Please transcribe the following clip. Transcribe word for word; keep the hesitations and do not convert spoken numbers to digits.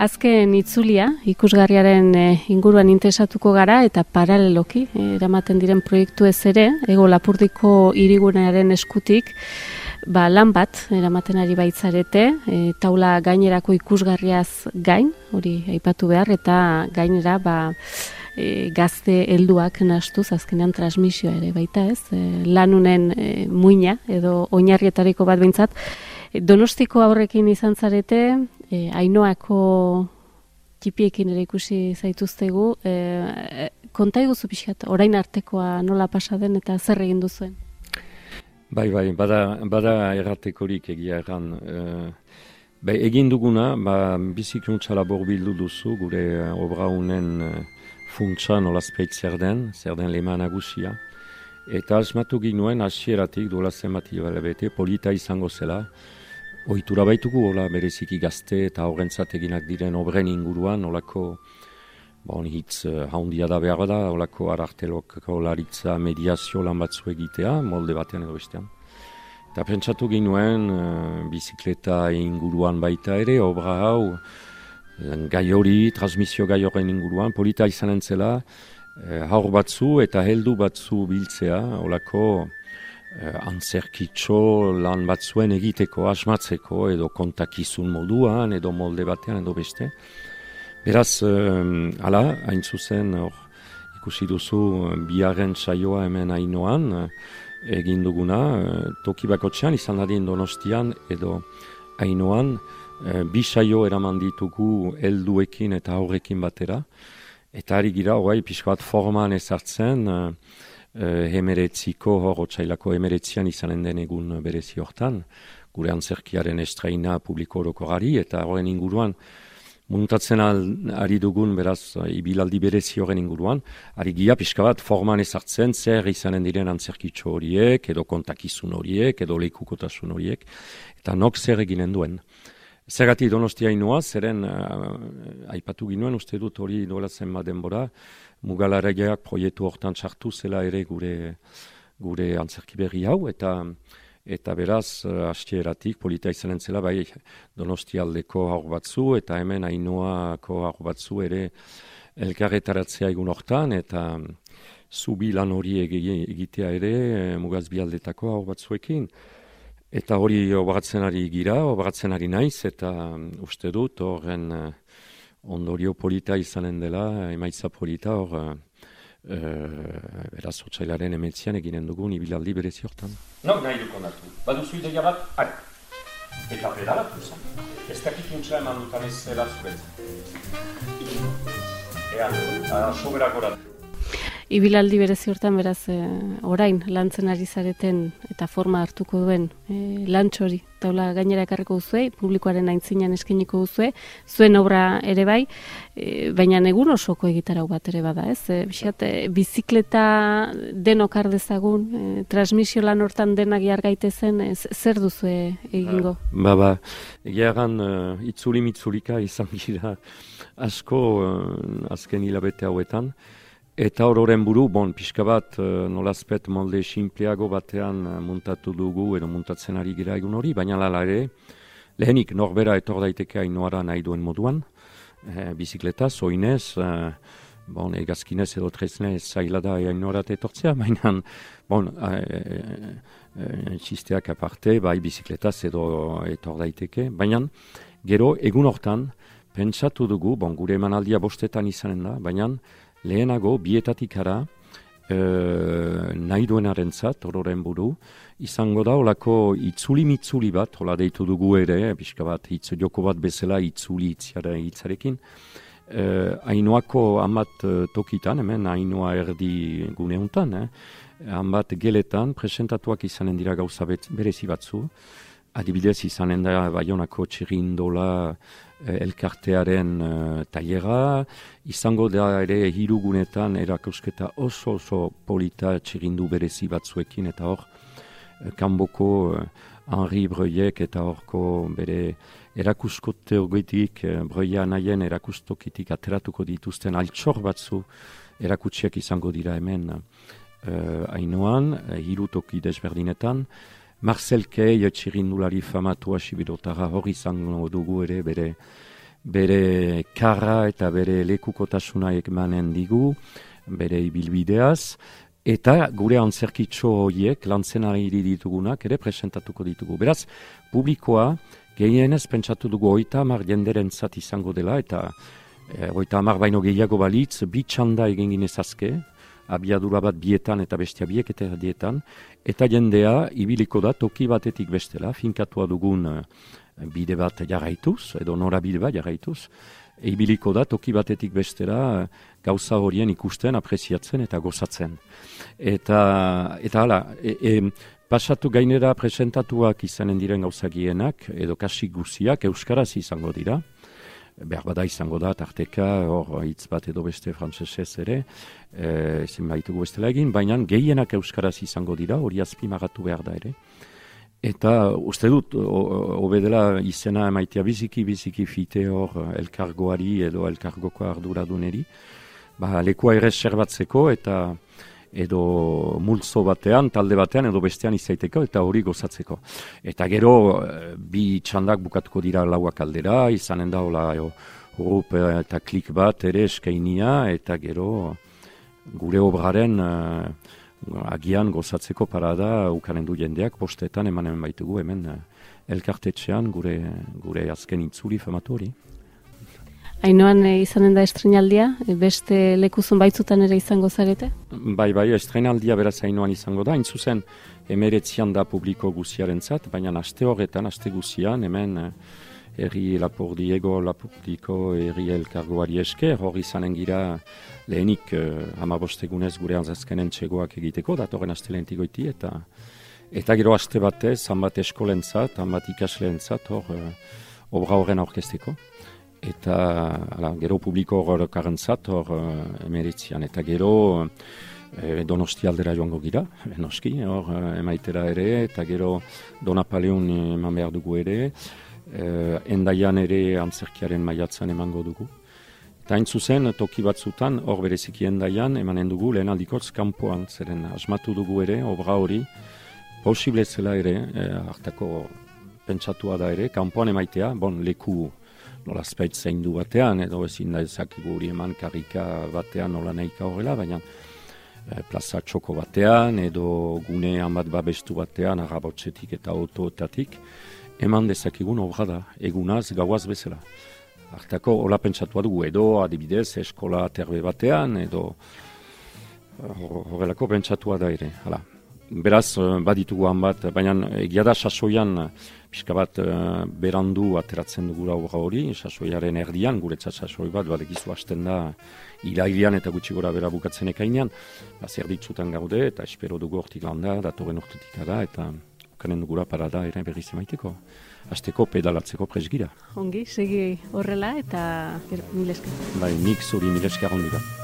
Azken itzulia, ikusgarriaren inguruan interesatuko gara eta paraleloki eramaten diren proiektu ez ere, Hego Lapurdiko hirigunearen eskutik, ba, lan bat eramaten ari baitzarete, e, taula gainerako ikusgarriaz gain, hori aipatu behar, eta gainera ba, e, gazte helduak nahastuz azkenean transmisioa ere baita ez, e, lanunen e, muina edo oinarrietariko bat behintzat. Donostiko aurrekin izan zarete, e, Ainoako txipiekin ere ikusi zaituztegu, e, konta iguzu pixkat, orain artekoa nola pasa den eta zer egin duzuen? Bai, bai, bada, bada erratekorik egia erran. E, bai, egin duguna, ba, bizikuntza labor bildu duzu, gure obra honen funtsa nolazpeit zer den, zer den lema nagusia. Eta asmatu ginuen hasieratik duela zenbat hilabete polita izango zela. Ohitura baitugu, hola, bereziki gazte eta horrentzat eginak diren obren inguruan, holako, bon, hitz uh, haundia da behar da, holako ararteloko laritza mediazio lan batzu egitea, molde batean edo bestean. Eta pentsatu ginuen, uh, bizikleta inguruan baita ere, obra hau, gai hori, transmisio gai horren inguruan, polita izan entzela, uh, haur batzu eta heldu batzu biltzea, holako, Uh, antzerkitxo lan batzuen egiteko, asmatzeko, edo kontakizun moduan, edo molde batean, edo beste. Beraz, uh, ala, hain zuzen, or, ikusi duzu, biharren saioa hemen Ainoan, uh, egin duguna, uh, toki bakotxean, izan dadin Donostian, edo Ainoan, uh, bi saio eraman ditugu helduekin eta aurrekin batera, eta ari gira, horai, pixko bat forman ezartzen, uh, Uh, hemeretziko hor otsailako hemeretzian izanen den egun berezi hortan, gure antzerkiaren estraina publiko orokorari eta horren inguruan muntatzen al, ari dugun beraz ibilaldi berezi horren inguruan, ari gira pixka bat forman ezartzen zer izanen diren antzerkitxo horiek, edo kontakizun horiek, edo lekukotasun horiek, eta nok zer eginen duen. Zergatik Donostia Ainoa, zeren uh, aipatu ginuen, uste dut hori duela zenbat denbora, Mugalaregeak proiektu hortan sartu zela ere gure gure antzerki berri hau, eta eta beraz, uh, hasieratik polita izanen zela, bai Donostialdeko haur batzu, eta hemen Ainoako haur batzu ere elkarretaratzea egun hortan, eta zubi lan hori egitea ere Mugazbialdetako haur batzuekin. Eta hori obratzen ari gira, obratzen ari naiz, eta um, uste dut horren uh, ondorio polita izanen dela, emaitza polita hor, uh, uh, beraz otsailaren emetzian eginen dugun ibilaldi berezi hortan. No, nahi duk ondatu. Baduzu ideia bat, ari. Eta pedalatu zen. Ez dakit untsa eman dutan ez zela zuretzen. Ea, uh, sobera goratu. Ibilaldi berezi hortan beraz e, orain lantzen ari zareten eta forma hartuko duen e, lantxori taula gainera ekarriko duzue, publikoaren aintzinean eskainiko duzue, zuen obra ere bai, e, baina egun osoko egitarau bat ere bada, ez? E, Bixat, e, bizikleta denok har dezagun, e, transmisio lan hortan denak jar gaitezen, e, zer duzue egingo? Ba, ba, egia egan uh, itzuli-mitzulika izan gira asko uh, azken hilabete hauetan. Eta hororen buru, bon, pixka bat, uh, nolazpet molde simpleago batean uh, muntatu dugu, edo muntatzen ari gira egun hori, baina lala ere, lehenik norbera etor daiteke Ainoara nahi duen moduan, eh, bizikleta, zoinez, uh, bon, egazkinez edo treznez zaila da Ainoarat etortzea, baina, bon, uh, uh, uh, txisteak aparte, bai bizikletaz edo etor daiteke, baina, gero, egun hortan, pentsatu dugu, bon, gure emanaldia bostetan izanen da, baina, lehenago, bietatik ara, e, nahi duenaren zat, hororen buru, izango da, olako itzuli-mitzuli bat, hola deitu dugu ere, pixka bat, hitz joko bat bezala, itzuli itziara hitzarekin. E, Ainoako hamat tokitan, hemen Ainoa erdi guneuntan, eh? hamat geletan, presentatuak izanen dira gauza berezi batzu, adibidez izanen da Baionako txirindola elkartearen uh, tailera, izango da ere hirugunetan erakusketa oso oso polita txirindu berezi batzuekin, eta hor, kanboko uh, Henri Breuilek eta horko bere erakuskote horgetik, uh, Breuila nahien erakustokitik ateratuko dituzten altxor batzu erakutsiak izango dira hemen uh, Ainoan, uh, hiru toki desberdinetan. Marcel Kei, txirindulari famatua Sibirotara hor izango dugu ere bere bere karra eta bere lekukotasuna emanen digu, bere ibilbideaz, eta gure antzerkitxo horiek, lantzen ari ditugunak, ere presentatuko ditugu. Beraz, publikoa, gehienez pentsatu dugu oita hamar jenderen zat izango dela, eta e, oita hamar baino gehiago balitz, bi txanda egin ginezazke, abiadura bat bietan eta bestia biek eta dietan, eta jendea ibiliko da toki batetik bestela, finkatua dugun e, bide bat jarraituz, edo norabide bat jarraituz, ibiliko da toki batetik bestera gauza horien ikusten, apreziatzen eta gozatzen. Eta, eta hala, e, e, pasatu gainera presentatuak izanen diren gauzagienak, edo kasik guziak, euskaraz izango dira, behar bada izango da, tarteka, hor hitz bat edo beste frantsesez ere, e, ezin baitugu bestela egin, baina gehienak euskaraz izango dira, hori azpimagatu behar da ere. Eta uste dut, obedela izena emaitea biziki, biziki fite hor elkargoari edo elkargoko arduraduneri, ba, lekua ere serbatzeko eta edo multzo batean, talde batean edo bestean izaiteko eta hori gozatzeko. Eta gero bi txandak bukatuko dira lauak aldera, izanen da hola hurup eta klik bat ere eskainia eta gero gure obraren agian gozatzeko parada ukanen du jendeak, postetan emanen baitugu hemen elkartetxean gure, gure azken itzuli famatu hori. Ainoan e, izanen da estrenaldia, e, beste lekuzun baitzutan ere izango zarete? Bai, bai, estrenaldia beraz Ainoan izango da, hain zuzen emeretzian da publiko guziaren zat, baina aste horretan, aste guzian, hemen herri Lapurdiego, Lapurdiko herri elkargoari esker, hori izanen gira lehenik eh, hamabostegunez gure azazkenen txegoak egiteko, datorren astelentik goiti, eta eta gero aste batez, hanbat eskolentzat, hanbat ikasleentzat, hor eh, obra horren aurkezteko. Eta ala, gero publiko horrekarentzat, hor eh, emeritzian, eta gero eh, Donosti aldera joango gira, noski, hor eh, emaitera ere, eta gero Donapaleun eman behar dugu ere, Uh, endaian ere antzerkiaren maiatzan emango dugu. Eta hain zuzen, toki batzutan, hor bereziki endaian, emanen dugu lehen aldikoz kanpoan, zeren asmatu dugu ere, obra hori, posible zela ere, eh, hartako pentsatua da ere, kanpoan emaitea, bon, leku nola spait zaindu batean, edo ezin da ezakigu hori eman karrika batean nola nahika horrela, baina eh, plaza txoko batean, edo gunean bat babestu batean, arrabotzetik eta autoetatik, eman dezakigun obra da, egunaz, gauaz bezala. Hartako, hola pentsatua dugu, edo adibidez, eskola terbe batean, edo horrelako pentsatua da ere. Hala. Beraz, baditugu han bat, baina egia da sasoian, pixka bat berandu ateratzen dugula obra hori, sasoiaren erdian, guretzat sasoi bat, badekizu hasten da, irailean eta gutxi gora bera bukatzen ekainean, zer ditzutan gaude, eta espero dugu hortik landa, datorren urtetik da, eta kanen dugula parada ere berriz emaiteko. Azteko pedalatzeko presgira. Ongi, segi horrela eta mil esker. Bai, nik zuri mil esker ondura.